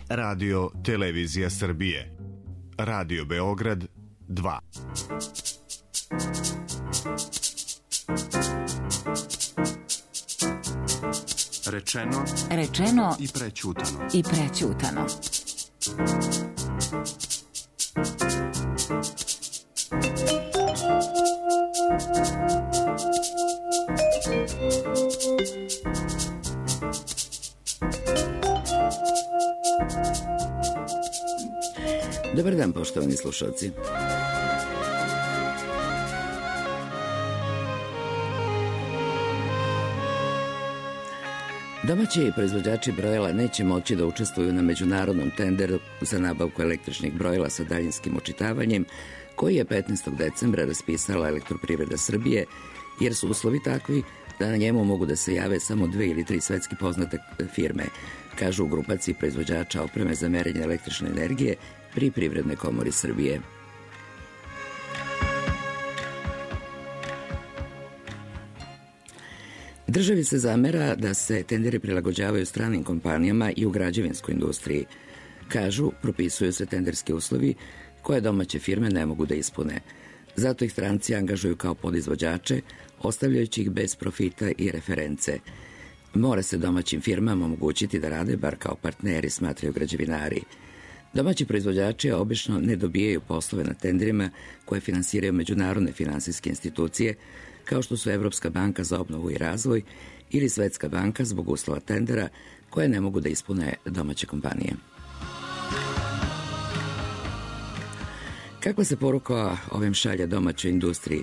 Radio Televizija Srbije. Radio Beograd 2. Rečeno i prećutano. Dobar dan, poštovani slušalci. Domaći proizvođači brojila neće moći da učestvuju na međunarodnom tenderu za nabavku električnih brojila sa daljinskim očitavanjem, koji je 15. decembra raspisala Elektroprivreda Srbije, jer su uslovi takvi da na njemu mogu da se jave samo 2 ili 3 svetski poznate firme, kažu u grupaciji proizvođača opreme za merenje električne energije pri Privrednoj komori Srbije. Državi se zamera da se tenderi prilagođavaju stranim kompanijama i u građevinskoj industriji. Kažu, propisuju se tenderski uslovi koje domaće firme ne mogu da ispune. Zato ih stranci angažuju kao podizvođače, ostavljajući ih bez profita i reference. Mora se domaćim firmama omogućiti da rade bar kao partneri, smatraju građevinari. Domaći proizvođači obično ne dobijaju poslove na tenderima koje finansiraju međunarodne finansijske institucije, kao što su Evropska banka za obnovu i razvoj ili Svetska banka zbog uslova tendera koje ne mogu da ispune domaće kompanije. Kakva se poruka ovim šalje domaćoj industriji?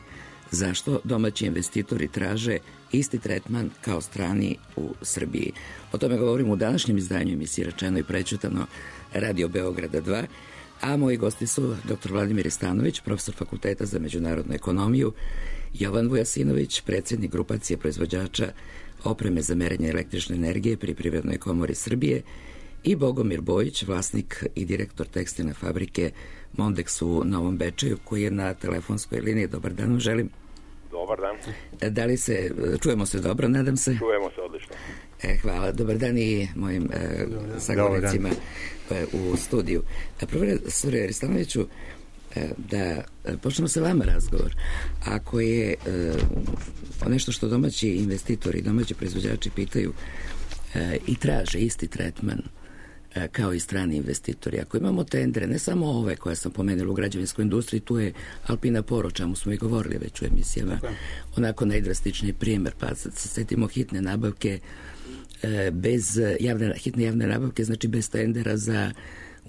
Zašto domaći investitori traže isti tretman kao strani u Srbiji? O tome govorimo u današnjem izdanju emisije Rečeno i prećutano Radio Beograda 2, a moji gosti su dr. Vladimir Stanović, profesor Fakulteta za međunarodnu ekonomiju, Jovan Vujasinović, predsjednik grupacije proizvođača opreme za merenje električne energije pri Privrednoj komori Srbije, i Bogomir Bojić, vlasnik i direktor tekstilne fabrike Mondex u Novom Bečeju, koji je na telefonskoj liniji. Dobar dan, želim. Dobar dan. Da li čujemo se dobro, nadam se? Čujemo se odlično. Hvala. Dobar dan i mojim sagovornicima u studiju. Profesor Ristanoviću, da počnemo sa vama razgovor. Ako je nešto što domaći investitori, domaći proizvođači pitaju i traže isti tretman kao i strani investitori. Ako imamo tendere, ne samo ove koje sam pomenula u građevinskoj industriji, tu je Alpina Poro, čemu smo i govorili već u emisijama, onako najdrastičniji primjer, pa setimo hitne nabavke bez hitne javne nabavke, znači bez tendera za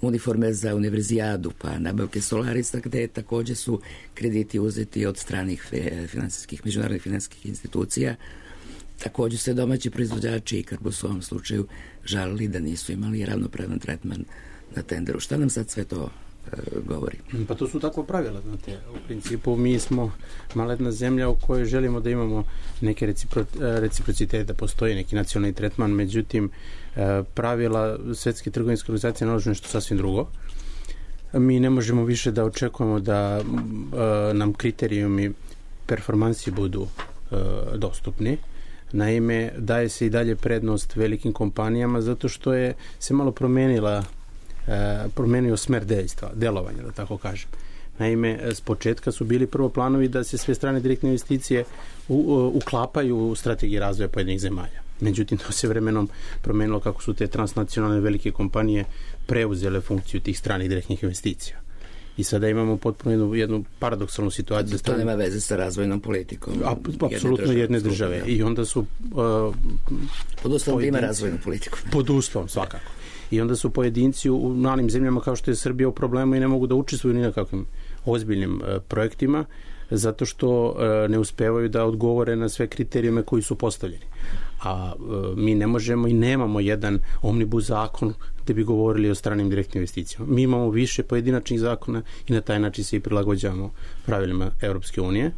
uniforme za univerzijadu, pa nabavke Solarisa, gde takođe su krediti uzeti od stranih međunarodnih finansijskih institucija. Takođe se domaći proizvođači i Karbus u ovom slučaju žalili da nisu imali ravnopravan tretman na tenderu. Šta nam sad sve to govori? Pa to su takva pravila, znate. U principu mi smo malena zemlja u kojoj želimo da imamo neke reciprocitete, da postoji neki nacionalni tretman, međutim pravila Svetske trgovinske organizacije nalažu nešto sasvim drugo. Mi ne možemo više da očekujemo da nam kriterijumi performansi budu dostupni. Naime, daje se i dalje prednost velikim kompanijama zato što je se malo promenio smer delovanja, da tako kažem. Naime, s početka su bili prvo planovi da se sve strane direktne investicije uklapaju u strategiji razvoja pojedinih zemalja. Međutim, to se vremenom promenilo kako su te transnacionalne velike kompanije preuzele funkciju tih stranih direktnih investicija. I sada imamo potpuno jednu paradoksalnu situaciju. To nema veze sa razvojnom politikom. Apsolutno jedne države. I onda su... pod uslovom da ima razvojnu politiku. Pod uslovom, svakako. I onda su pojedinci u malim zemljama kao što je Srbija u problemu i ne mogu da učestvuju ni na kakvim ozbiljnim projektima, zato što ne uspevaju da odgovore na sve kriterijume koji su postavljeni. A mi ne možemo i nemamo jedan omnibus zakon gde bi govorili o stranim direktnim investicijama. Mi imamo više pojedinačnih zakona i na taj način se i prilagođavamo pravilima Evropske unije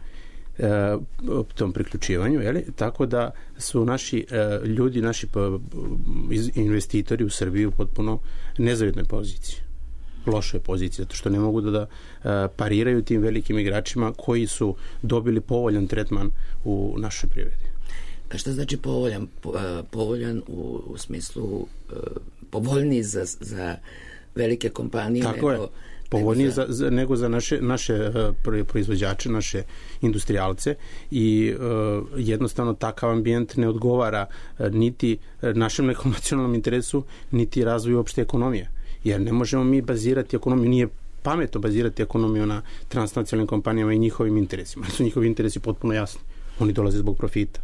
tom priključivanju, tako da su naši ljudi, naši investitori u Srbiji u potpuno nezavidnoj poziciji, lošoj poziciji, zato što ne mogu da pariraju tim velikim igračima koji su dobili povoljan tretman u našoj privredi. Šta znači povoljan? Povoljan u smislu povoljniji za velike kompanije? Tako je. Povoljnije nego za naše proizvođače, naše industrijalce i jednostavno takav ambijent ne odgovara niti našem nekom nacionalnom interesu, niti razvoju opšte ekonomije. Jer ne možemo mi bazirati ekonomiju, nije pametno bazirati ekonomiju na transnacionalnim kompanijama i njihovim interesima. Su njihovi interesi potpuno jasni. Oni dolaze zbog profita.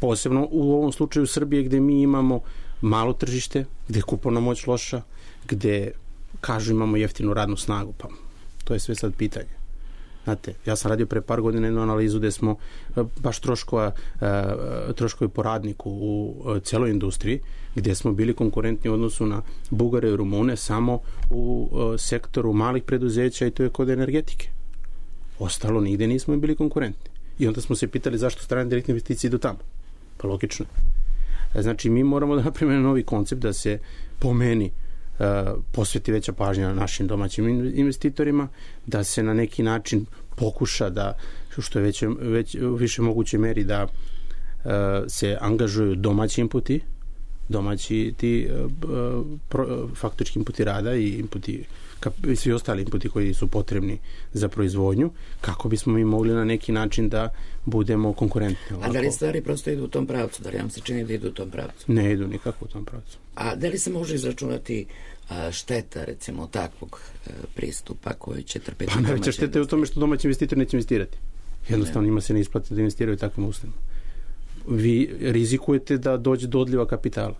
Posebno u ovom slučaju Srbije gde mi imamo malo tržište, gde je kupovna moć loša, gde kažu imamo jeftinu radnu snagu, pa to je sve sad pitanje. Znate, ja sam radio pre par godina jednu analizu gde smo baš troškovi po radniku u celoj industriji, gde smo bili konkurentni u odnosu na Bugare i Rumune samo u sektoru malih preduzeća i to je kod energetike. Ostalo nigde nismo bili konkurentni. I onda smo se pitali zašto strane direktne investicije idu tamo. Pa logično. Znači, mi moramo da napravimo novi koncept da se po meni posveti veća pažnja našim domaćim investitorima, da se na neki način pokuša da, što je više moguće meri, da se angažuju domaći inputi, domaći ti faktički inputi rada i inputi svi ostali inputi koji su potrebni za proizvodnju, kako bismo mi mogli na neki način da budemo konkurentni. A da li stvari prosto idu u tom pravcu? Da li vam se čini da idu u tom pravcu? Ne idu nikako u tom pravcu. A da li se može izračunati šteta, recimo, takvog pristupa koji će trpeti? Pa najveća šteta je u tome što domaći investitor neće investirati. Jednostavno njima se ne isplati da investiraju takvim uslovima. Vi rizikujete da dođe do odliva kapitala,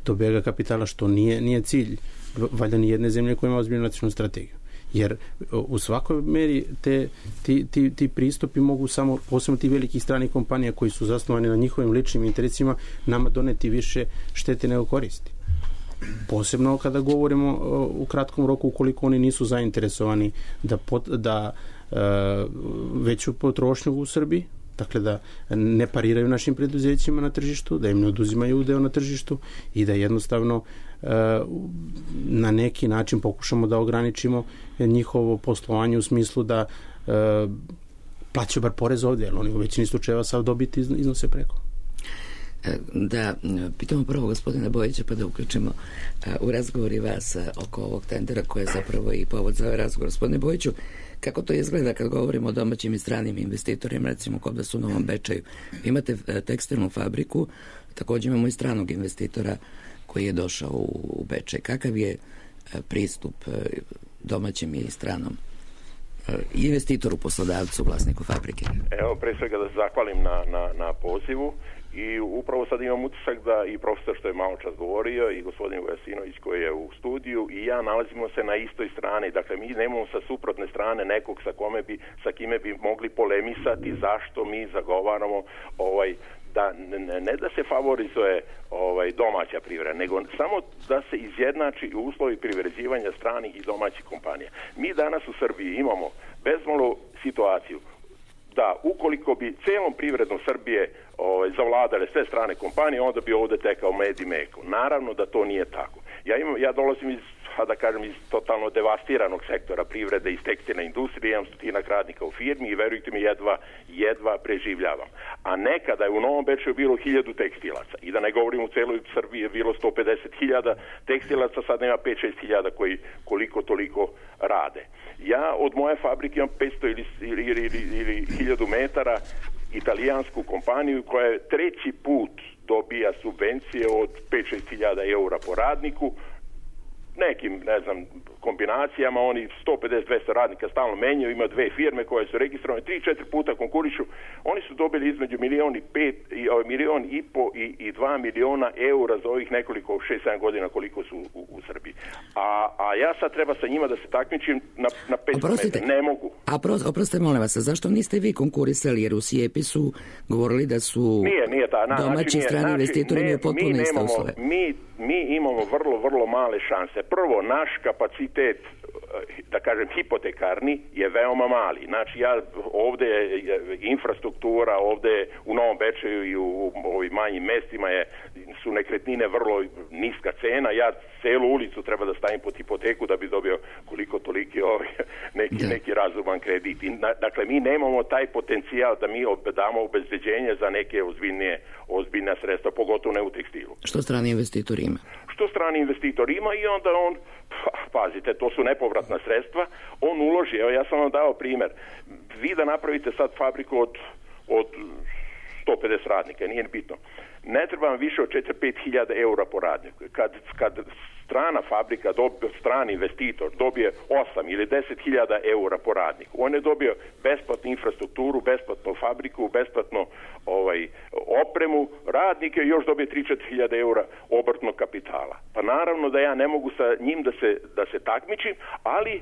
do bega kapitala, što nije cilj valjda ni jedne zemlje koja ima ozbiljnu nacionalnu strategiju. Jer u svakoj meri ti pristupi mogu samo, posebno ti velikih stranih kompanija koji su zasnovani na njihovim ličnim interesima, nama doneti više štete nego koristi. Posebno kada govorimo u kratkom roku, ukoliko oni nisu zainteresovani da veću potrošnju u Srbiji, dakle da ne pariraju našim preduzećima na tržištu, da im ne oduzimaju udeo na tržištu i da jednostavno na neki način pokušamo da ograničimo njihovo poslovanje u smislu da plaćaju bar porez ovdje, jer oni u većini slučajeva sav dobiti iznose preko. Da pitamo prvo gospodina Bojića pa da uključimo u razgovor i vas oko ovog tendera koji je zapravo i povod za ovaj razgovor. Gospodine Bojiću, kako to izgleda kad govorimo o domaćim i stranim investitorima, recimo kod vas u Novom Bečeju? Imate tekstilnu fabriku, također imamo i stranog investitora koji je došao u Bečej. Kakav je pristup domaćim i stranom investitoru, poslodavcu, vlasniku fabrike? Evo, pre svega da se zahvalim na pozivu i upravo sad imam utisak da i profesor što je malo čas govorio i gospodin Vujasinović koji je u studiju i ja nalazimo se na istoj strani. Dakle, mi nemamo sa suprotne strane nekog sa kime bi mogli polemisati zašto mi zagovaramo da ne da se favorizuje domaća privreda, nego samo da se izjednači uslovi privređivanja stranih i domaćih kompanija. Mi danas u Srbiji imamo bezmalo situaciju da ukoliko bi celom privrednom Srbije zavladale sve strane kompanije, onda bi ovde tekao med i meko. Naravno da to nije tako. Ja dolazim iz totalno devastiranog sektora privrede, iz tekstilne industrije, imam 100 radnika u firmi i verujte mi, jedva preživljavam. A nekada je u Novom Bečeju bilo 1000 tekstilaca i da ne govorim u celoj Srbiji je bilo 150.000 tekstilaca, sad nema 5-6.000 koji koliko toliko rade. Ja od moje fabrike imam 500 ili 1000 metara italijansku kompaniju koja je treći put dobija subvencije od 5-6.000 eura po radniku, nekim, kombinacijama, oni 150-200 radnika stalno menjaju, ima 2 firme koje su registrovane, 3-4 puta konkurišu, oni su dobili između 1,5 miliona i 2 miliona eura za ovih nekoliko 6-7 godina koliko su u Srbiji. A ja sad treba sa njima da se takmičim na 500 metara, ne mogu. Oprostite, molim vas, zašto niste vi konkurisali, jer u SIEPI su govorili da su domaći i strani investitori imaju potpuno iste uslove? Mi imamo vrlo male šanse. Prvo, naš kapacitet da kažem, hipotekarni je veoma mali. Znači, ovde je infrastruktura, ovde u Novom Bečeju i u ovim manjim mestima su nekretnine vrlo niska cena. Ja celu ulicu treba da stavim pod hipoteku da bi dobio koliko toliki neki razuman kredit. Dakle, mi nemamo taj potencijal da mi damo obezbeđenje za neke ozbiljna sredstva, pogotovo ne u tekstilu. Što strani investitor ima? Što strani investitor ima i onda on, pazite, to su nepovratna sredstva, on uloži. Evo, ja sam vam dao primer. Vi da napravite sad fabriku od 150 radnika, nije bitno. Ne treba vam više od 4-5 hiljada eura po radniku. Kad strana fabrika, strani investitor dobije 8 ili 10 hiljada eura po radniku, on je dobio besplatnu infrastrukturu, besplatnu fabriku, besplatnu opremu, radnike još dobije 3-4 hiljada eura obrtnog kapitala. Pa naravno da ja ne mogu sa njim da se takmičim, ali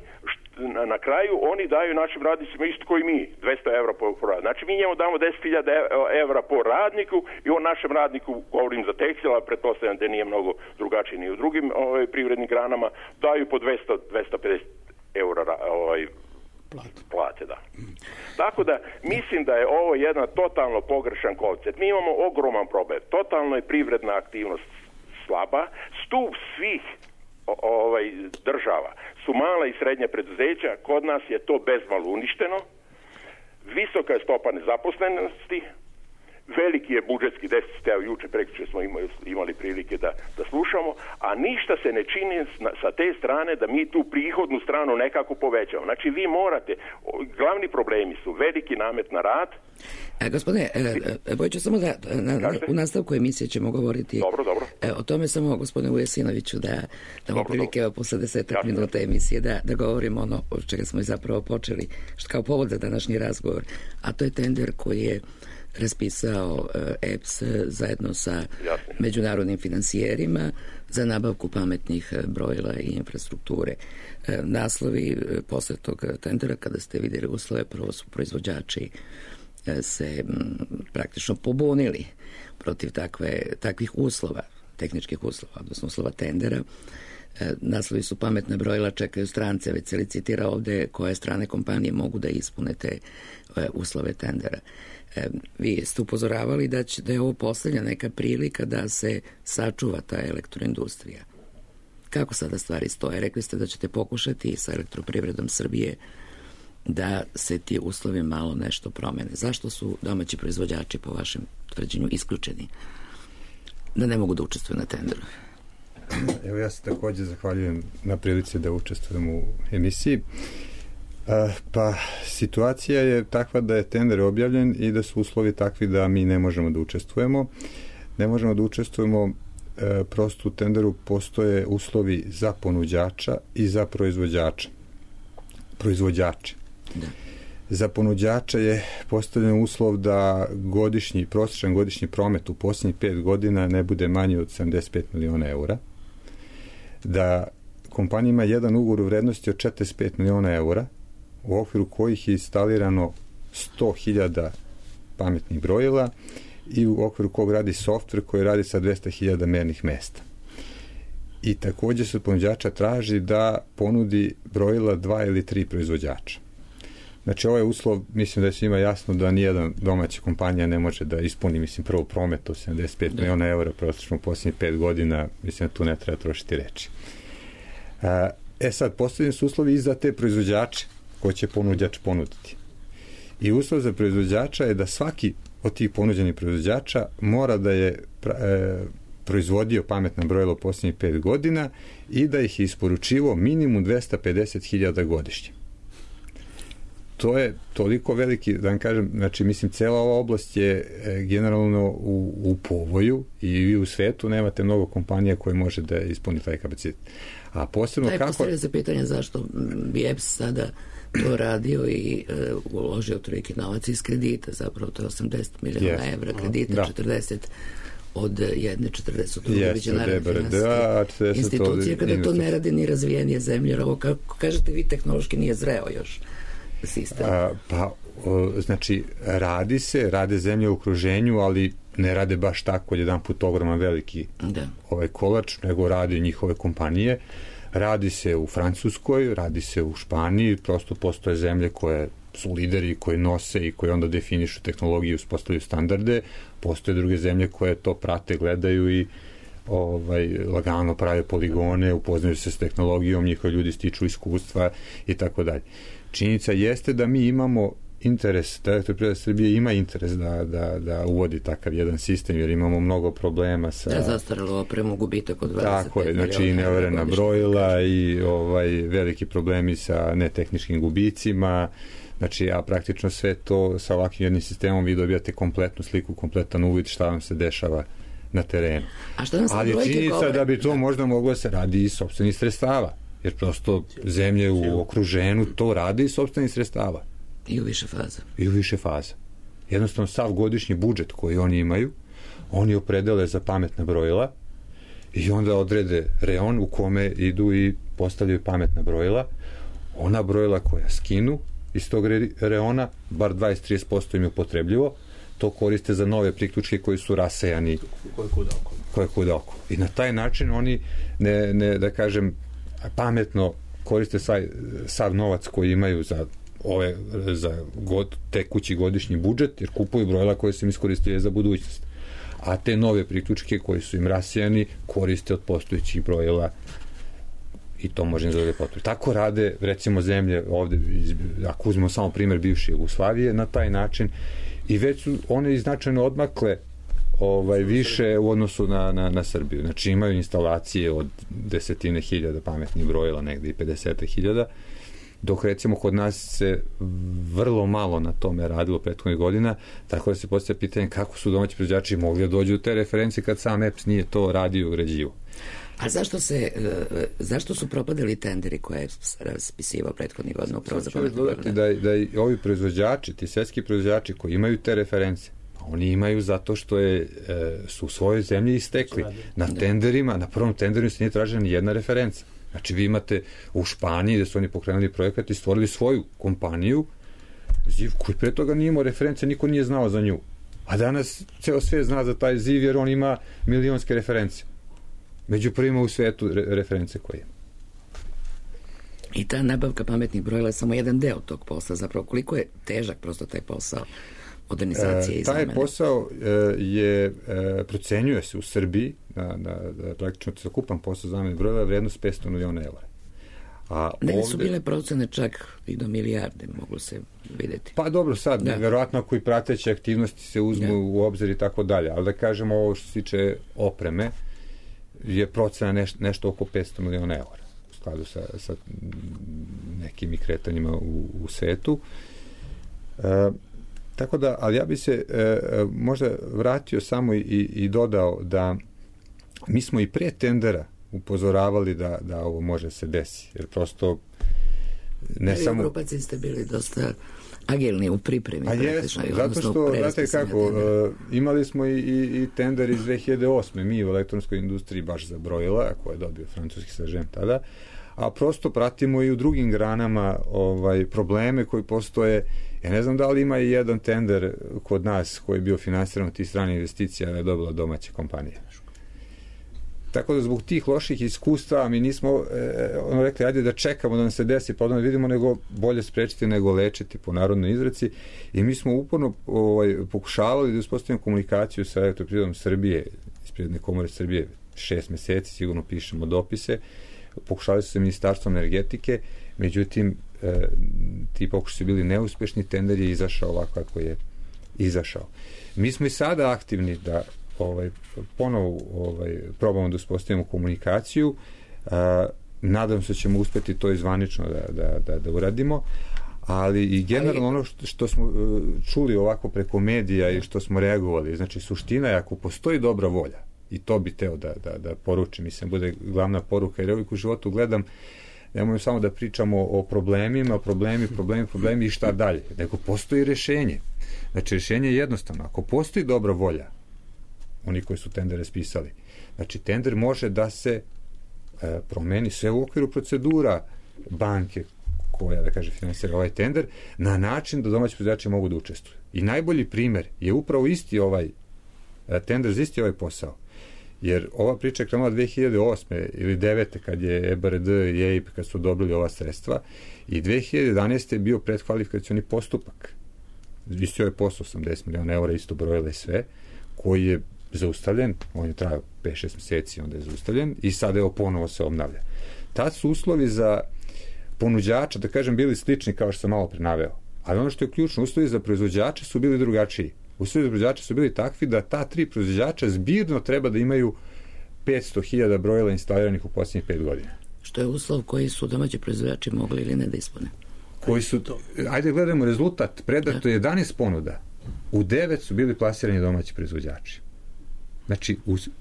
na kraju oni daju našim radnicima isto koji mi, 200 evra po radniku. Znači mi njemu damo 10.000 evra po radniku i on našem radniku, govorim za tekstil, a pretpostavljam da nije mnogo drugačiji ni u drugim privrednim granama, daju po 200-250 evra plate, da. Tako da mislim da je ovo jedan totalno pogrešan koncept. Mi imamo ogroman problem. Totalno je privredna aktivnost slaba. Stup svih država su mala i srednja preduzeća. Kod nas je to bezmalo uništeno. Visoka je stopa nezaposlenosti. Veliki je budžetski deficit, evo juče prekjuče smo imali prilike da slušamo, a ništa se ne čini sa te strane da mi tu prihodnu stranu nekako povećamo. Znači vi morate, glavni problemi su veliki namet na rad. Gospodine, Bojiću, samo da u nastavku emisije ćemo govoriti o tome, samo gospodine Vujesinoviću da damo prilike posle 10 minuta emisije da govorimo ono od čega smo i zapravo počeli, kao povod za današnji razgovor, a to je tender koji je raspisao EPS zajedno sa međunarodnim finansijerima za nabavku pametnih brojila i infrastrukture. Naslovi posle tog tendera, kada ste vidjeli uslove, prvo su proizvođači se praktično pobunili protiv takvih uslova, tehničkih uslova, odnosno uslova tendera. Naslovi su pametna brojila čekaju strance, već se licitira ovde koje strane kompanije mogu da ispune te uslove tendera. Vi ste upozoravali da je ovo posljednja neka prilika da se sačuva ta elektroindustrija. Kako sada stvari stoje? Rekli ste da ćete pokušati sa Elektroprivredom Srbije da se ti uslovi malo nešto promene. Zašto su domaći proizvođači po vašem tvrđenju isključeni? Da ne mogu da učestvuju na tenderu? Evo, ja se također zahvaljujem na prilici da učestvujem u emisiji. Pa situacija je takva da je tender objavljen i da su uslovi takvi da mi ne možemo da učestvujemo. Ne možemo da učestvujemo, prosto u tenderu postoje uslovi za ponuđača i za proizvođače. Da. Za ponuđača je postavljen uslov da prosječan godišnji promet u posljednjih 5 godina ne bude manji od 75 miliona eura, da kompanija ima jedan ugovor u vrednosti od 45 miliona eura, u okviru kojih je instalirano 100.000 pametnih brojila i u okviru kog radi softver koji radi sa 200.000 mernih mesta. I također se od ponuđača traži da ponudi brojila 2 ili 3 proizvođača. Znači, ovaj uslov, mislim da je svima jasno da nijedan domaća kompanija ne može da ispuni, prvo promet od 75 miliona eura prosječno u posljednjih 5 godina, mislim da tu ne treba trošiti reči. Sad, postavljeni su uslovi i za te proizvođače koje će ponuđač ponuditi. I uslov za proizvođača je da svaki od tih ponuđenih proizvođača mora da je proizvodio pametna brojila u posljednjih 5 godina i da ih je isporučivo minimum 250.000 godišnje. To je toliko veliki, da vam kažem, znači, cela ova oblast je generalno u povoju i vi u svetu nemate mnogo kompanija koje može da ispuni taj kapacitet. A posebno kako... Postavlja se pitanje zašto bi EPS sada to radio i uložio toliki novac iz kredita, zapravo to je 80 miliona evra kredita, 40 od jedne, 40 od druge međunarodne institucije, kada to ne radi ni razvijenije zemlje, jer ovo, kako kažete vi, tehnološki nije zreo još sistem. Znači, rade zemlje u okruženju, ali ne rade baš tako jedan put ogroman veliki ovaj kolač, nego rade njihove kompanije. Radi se u Francuskoj, radi se u Španiji, prosto postoje zemlje koje su lideri, koji nose i koji onda definišu tehnologiju, uspostavljaju standarde, postoje druge zemlje koje to prate, gledaju i lagano prave poligone, upoznaju se s tehnologijom, njihovi ljudi stiču iskustva i tako dalje. Činjenica jeste da mi imamo interes, da Elektroprivreda Srbije ima interes da uvodi takav jedan sistem, jer imamo mnogo problema sa... Da, zastaralo opremu, gubitak od 25 tako je, znači i neoverena brojila i veliki problemi sa netehničkim gubicima, znači a praktično sve to sa ovakvim jednim sistemom vi dobijate kompletnu sliku, kompletan uvid šta vam se dešava na terenu. Ali činjenica da bi to možda moglo se radi iz sopstvenih sredstava, jer prosto zemlje u okruženju to radi iz sopstvenih sredstava. I u više faza. I u više faza. Jednostavno, sav godišnji budžet koji oni imaju, oni opredele za pametna brojila i onda odrede reon u kome idu i postavljaju pametna brojila. Ona brojila koja skinu iz tog reona, bar 20-30% im je upotrebljivo, to koriste za nove priključke koji su rasejani koje kuda oko. I na taj način oni ne da kažem, pametno koriste sav novac koji imaju za tekući godišnji budžet, jer kupuju brojila koje se im iskoristuje za budućnost. A te nove priključke koji su im rasijani koriste od postojećih brojila i to može im zadati potpuno. Tako rade, recimo, zemlje ovde, ako uzmemo samo primer bivše Jugoslavije, na taj način i već su one značajno odmakle više u odnosu na Srbiju. Znači imaju instalacije od 10.000 pametnih brojila, negde i 50.000, dok recimo kod nas se vrlo malo na tome radilo prethodnih godina, tako da se postavlja pitanje kako su domaći proizvođači mogli da dođu u te referencije kad sam EPS nije to radio i uređivo. A zašto su propadali tenderi koje je raspisivao prethodnih godina upravo za pametne brojile? Da i ovi proizvođači, ti svetski proizvođači koji imaju te reference, oni imaju zato što su u svojoj zemlji istekli. Na tenderima, na prvom tenderu se nije tražena ni jedna referenca. Znači vi imate u Španiji gde su oni pokrenuli projekat i stvorili svoju kompaniju ZIV koji pre toga nije imao reference, niko nije znao za nju. A danas ceo svijet zna za taj ZIV jer on ima milionske reference. Među prvima u svetu reference koje ima. I ta nabavka pametnih brojila je samo jedan deo tog posla. Zapravo koliko je težak prosto taj posao modernizacije i zamene? Taj posao procenjuje se u Srbiji da praktično celokupan posao zamene brojila je vrednost 500 miliona eura. Ne su bile procene čak i do milijarde, mogu se videti. Pa dobro, sad, verovatno ako i prateće aktivnosti se uzmu u obzir i tako dalje, ali da kažemo ovo što se tiče opreme, je procena nešto oko 500 miliona eura u skladu sa nekim kretanjima u svetu. Tako da, ali ja bi se možda vratio samo i dodao da mi smo i pre tendera upozoravali da ovo može se desi, jer prosto ne samo... U grupaciji ste bili dosta agilni u pripremi. A jesmo, zato što, znate kako, imali smo i tender iz 2008. mi u elektronskoj industriji baš za brojila, koje je dobio francuski Sažem tada, a prosto pratimo i u drugim granama probleme koji postoje. Ja ne znam da li ima i jedan tender kod nas koji je bio finansiran od tih stranih investicija, je dobila domaća kompanija. Tako da zbog tih loših iskustva mi nismo rekli, ajde da čekamo da nam se desi, pa da vidimo, nego bolje sprečiti nego lečiti po narodnoj izreci, i mi smo uporno pokušavali da uspostavimo komunikaciju sa Elektroprivredom Srbije, iz Privredne komore Srbije, 6 meseci, sigurno pišemo dopise, pokušavali su sa Ministarstvom energetike, međutim ti pokušaj su bili neuspešni, tender je izašao ovako kako je izašao. Mi smo i sada aktivni da ponovo probamo da uspostavimo komunikaciju. Nadam se da ćemo uspeti to izvanično da uradimo, ali i generalno ono što smo čuli ovako preko medija i što smo reagovali, znači suština je ako postoji dobra volja, i to bi teo da poručim, mislim, bude glavna poruka, jer uvijek u životu gledam, nemojmo samo da pričamo o problemima, problemi i šta dalje, nego postoji rešenje. Znači rešenje je jednostavno, ako postoji dobra volja, oni koji su tender raspisali, znači tender može da se promeni sve u okviru procedura banke koja, da kaže, finansira ovaj tender, na način da domaći proizvođači mogu da učestvuju. I najbolji primer je upravo isti ovaj tender za isti ovaj posao Jer ova priča je krenula 2008. ili 2009. kad je EBRD i EIB kad su dobili ova sredstva i 2011. je bio predkvalifikacioni postupak. Visio je posao 80 miliona eura, isto brojile sve, koji je zaustavljen, on je trajao 5-6 meseci, onda je zaustavljen i sada evo ponovo se obnavlja. Tad su uslovi za ponuđača, da kažem, bili slični kao što sam malo pre naveo, ali ono što je ključno, uslovi za proizvođače su bili drugačiji. Uslovi za proizvođača su bili takvi da ta 3 proizvođača zbirno treba da imaju 500.000 brojila instaliranih u posljednjih 5 godina. Što je uslov koji su domaći proizvođači mogli ili ne da ispune? Koji su, ajde gledamo rezultat, predato je 11 ponuda, u 9 su bili plasirani domaći proizvođači. Znači,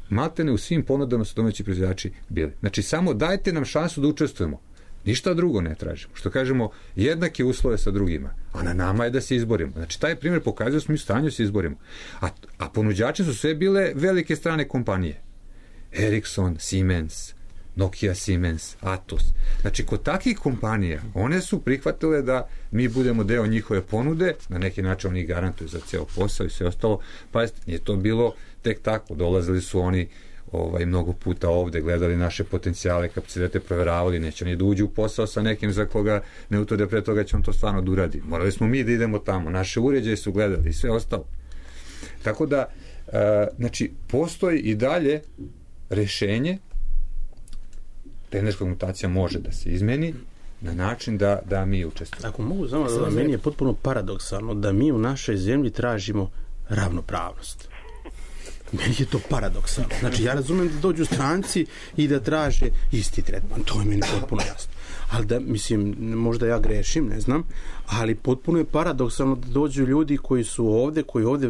maltene u svim ponudama su domaći proizvođači bili. Znači, samo dajte nam šansu da učestvujemo. Ništa drugo ne tražimo. Što kažemo, jednake uslove sa drugima. A na nama je da se izborimo. Znači, taj primjer pokazuje da smo u stanju da se izborimo. A ponuđači su sve bile velike strane kompanije. Ericsson, Siemens, Nokia, Siemens, Atos. Znači, kod takvih kompanija, one su prihvatile da mi budemo deo njihove ponude, na neki način oni garantuju za ceo posao i sve ostalo. Pa je to bilo tek tako. Dolazili su oni mnogo puta ovde, gledali naše potencijale, kapacitete, proveravali, neće oni da uđu u posao sa nekim za koga ne utvrde pre toga će on to stvarno da uradi. Morali smo mi da idemo tamo, naše uređaje su gledali i sve ostalo. Tako da, znači, postoji i dalje rešenje, energetska mutacija može da se izmeni na način da mi učestvujemo. Ako mogu samo da meni je potpuno paradoksalno da mi u našoj zemlji tražimo ravnopravnost. Meni je to paradoksalno. Znači, ja razumem da dođu stranci i da traže isti tretman. To je meni potpuno jasno. Ali da, mislim, možda ja grešim, ne znam, ali potpuno je paradoksalno da dođu ljudi koji su ovde, koji ovde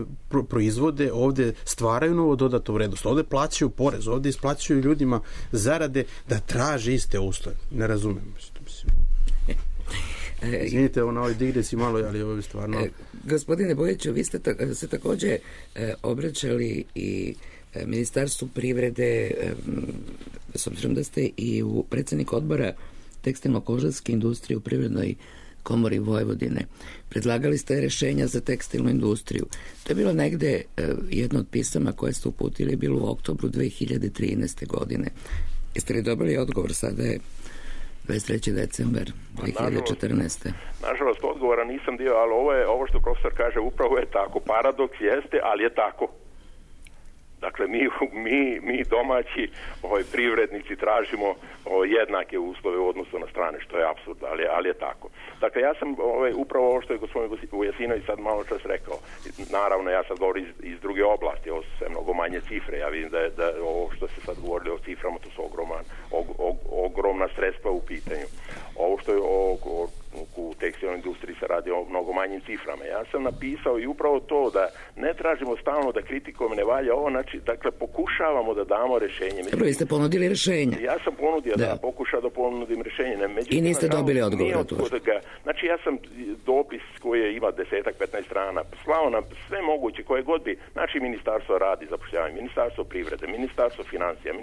proizvode, ovde stvaraju novo dodatu vrednost, ovde plaćaju porez, ovde isplaćuju ljudima zarade da traže iste uslove. Ne razumem. Mislim. Izvinite, na ovoj digresi malo, ali ovo je stvarno... Gospodine Bojiću, vi ste se takođe obraćali i Ministarstvu privrede, s obzirom da ste i u predsjednik odbora tekstilno-kožarske industrije u Privrednoj komori Vojvodine. Predlagali ste rešenja za tekstilnu industriju. To je bilo negde jedno od pisama koje ste uputili, bilo u oktobru 2013. godine. Jeste li dobili odgovor? Sada je 23. decembar 2014. Nažalost, odgovora nisam dio, ali ovo što profesor kaže upravo je tako. Paradoks jeste, ali je tako. Dakle, mi domaći privrednici tražimo jednake uslove u odnosu na strane, što je apsurd, ali je tako. Dakle, ja sam upravo ovo što je gospodin Vujasinović sad malo čas rekao. Naravno, ja sad govorim iz druge oblasti, ovo su sve mnogo manje cifre. Ja vidim da ovo što se sad govorili o ciframa, to su ogromna sredstva u pitanju. Ovo što je u tekstilnoj industriji se radi o mnogo manjim ciframa. Ja sam napisao i upravo to da ne tražimo stalno da kritikom ne valja ovo, znači, dakle, pokušavamo da damo rešenje. Dobro, vi ste ponudili rešenje. Ja sam ponudio pokušao da ponudim rešenje. I niste dobili odgovor na to. Znači, ja sam dopis koji ima 10-15 strana slao nam sve moguće koje god bi, znači, Ministarstvo radi, zapošljavanje, Ministarstvo privrede, Ministarstvo financija,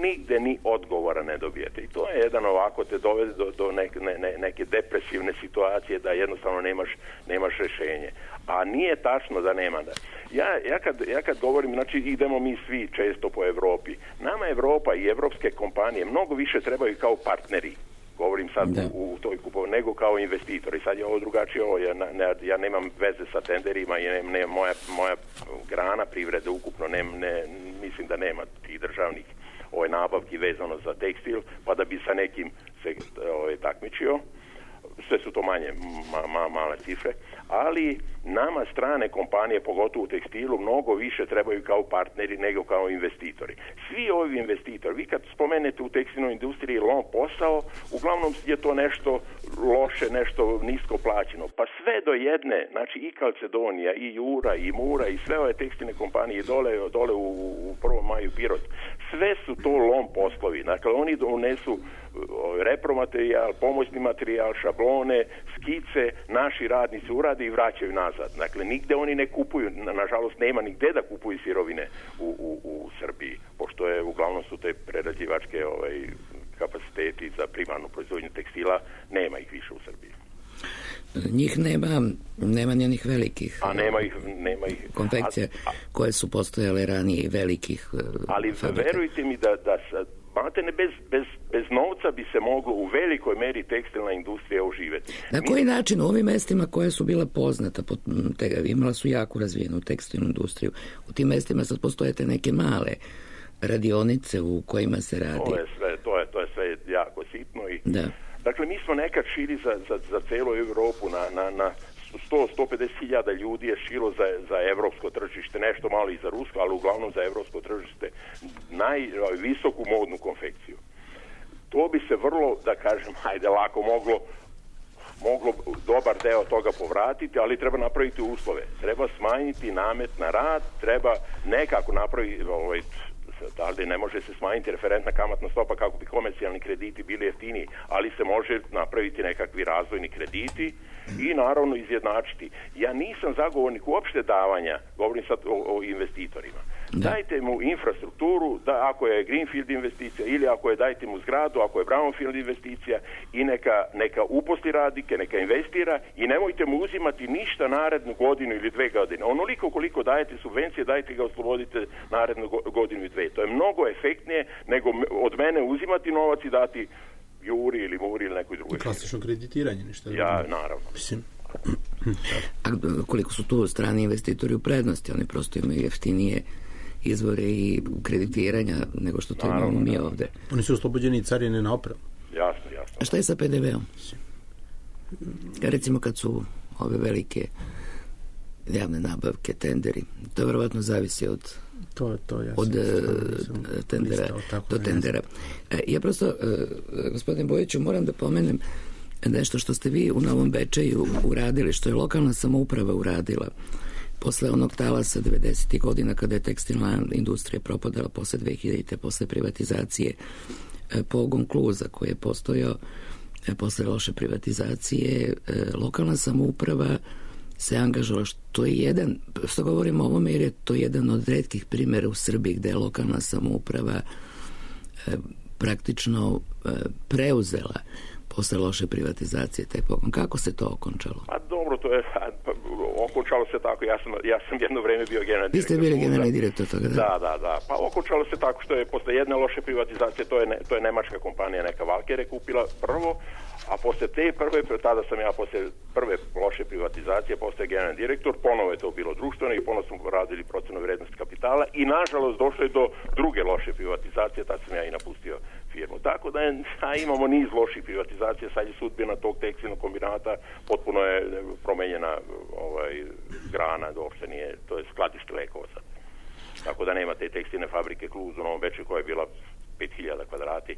nigde ni odgovora ne dobijete. I to je jedan ovako te dovede do neke depresivne situacije da jednostavno nemaš rešenje. A nije tačno da nema. Ja kad govorim, znači idemo mi svi često po Evropi. Nama Evropa i evropske kompanije mnogo više trebaju kao partneri. Govorim sad u toj kupovini, nego kao investitori. Sad je ovo drugačije. Ja nemam veze sa tenderima i moja grana privrede ukupno mislim da nema tih državnih nabavki vezano za tekstil, pa da bi sa nekim se takmičio. Sve su to male cifre, ali nama strane kompanije, pogotovo u tekstilu, mnogo više trebaju kao partneri nego kao investitori. Svi ovi investitori, vi kad spomenete u tekstilnoj industriji lom posao, uglavnom je to nešto loše, nešto nisko plaćeno. Pa sve do jedne, znači i Calcedonia, i Jura, i Mura, i sve ove tekstilne kompanije dole u Prvom maju Pirot, sve su to lom poslovi. Dakle, oni donesu repromaterijal, pomoćni materijal, šablone, skice, naši radnici urade i vraćaju nazad. Dakle, nigde oni ne kupuju, nažalost nema nigde da kupuju sirovine u Srbiji, pošto uglavnom su te prerađivačke kapaciteti za primarnu proizvodnju tekstila, nema ih više u Srbiji. njih nema ni onih velikih. A nema ih. Konfekcija koje su postojale ranije i velikih ali fabrika. Verujte mi da maltene bez novca bi se moglo u velikoj meri tekstilna industrija oživjeti. Na koji način u ovim mestima koja su bila poznata, imala su jako razvijenu tekstilnu industriju, u tim mestima sad postojete neke male radionice u kojima se radi. To je sve jako sitno. Da. Dakle, mi smo nekad širi za celu Europu na 100-150 ljudi je šilo za evropsko tržište, nešto malo i za rusko, ali uglavnom za evropsko tržište, visoku modnu konfekciju. To bi se vrlo, da kažem, lako moglo dobar deo toga povratiti, ali treba napraviti uslove. Treba smanjiti namet na rad, treba nekako napraviti, ali ne može se smanjiti referentna kamatna stopa kako bi komercijalni krediti bili jeftiniji, ali se može napraviti nekakvi razvojni krediti i naravno izjednačiti. Ja nisam zagovornik uopšte davanja, govorim sad o investitorima. Da. Dajte mu infrastrukturu, ako je greenfield investicija ili ako je dajte mu zgradu, ako je brownfield investicija i neka uposli radnike, neka investira i nemojte mu uzimati ništa narednu godinu ili 2 godine. Onoliko koliko dajete subvencije, dajte ga oslobodite narednu godinu i 2. To je mnogo efektnije nego od mene uzimati novac i dati Juri ili Muri ili nekoj drugoj. Klasično kreditiranje, ništa. Ja, naravno. Mislim. A koliko su tu strani investitori u prednosti? Oni prosto imaju jeftinije izvore i kreditiranja nego što to imamo mi ovde. Oni su oslobođeni i carine na opremu. Jasno. A šta je sa PDV-om? Recimo kad su ove velike javne nabavke, tenderi, to verovatno zavisi od tendera do tendera. Ja prosto, gospodin Bojiću, moram da pomenem nešto što ste vi u Novom Bečeju uradili, što je lokalna samouprava uradila posle onog talasa 90. godina kada je tekstilna industrija propadala posle 2000. posle privatizacije. Pogon Kluza koji je postojao posle loše privatizacije, lokalna samouprava se angažovala, što je jedan, što govorimo o ovome jer je to jedan od retkih primjera u Srbiji gde je lokalna samouprava praktično preuzela posle loše privatizacije taj pogon. Kako se to okončalo? Pa dobro, to je okončalo se tako. Ja sam jedno vreme bio generalni direktor. Vi ste bili generalni direktor toga, da? Da. Pa okončalo se tako što je posle jedne loše privatizacije, to je nemačka kompanija, neka Valkere kupila prvo, a posle te tada sam ja posle prve loše privatizacije postao generalni direktor, ponovo je to bilo društveno i ponovo smo radili procenu vrednosti kapitala i nažalost došlo je do druge loše privatizacije, tad sam ja i napustio firmu. Tako da imamo niz loših privatizacija, sad je sudbina tog tekstilnog kombinata potpuno je promenjena grana, uopšte nije, to je skladište lekova sad. Tako da nema te tekstilne fabrike Kluz u Novom Bečeju koja je bila 5000 kvadrati,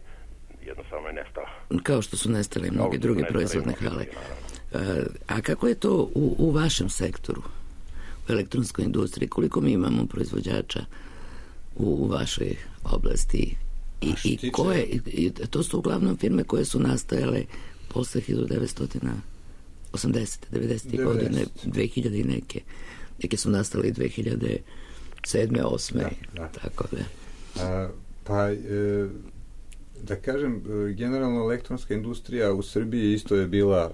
jednostavno je nestala. Kao što su nestale mnoge druge proizvodne hale. A kako je to u vašem sektoru, u elektronskoj industriji? Koliko mi imamo proizvođača u vašoj oblasti? I koje, to su uglavnom firme koje su nastajale posle 1980. 90. godine, 2000 i neke su nastale 2007. 2008. Tako da. Da kažem, generalno elektronska industrija u Srbiji isto je bila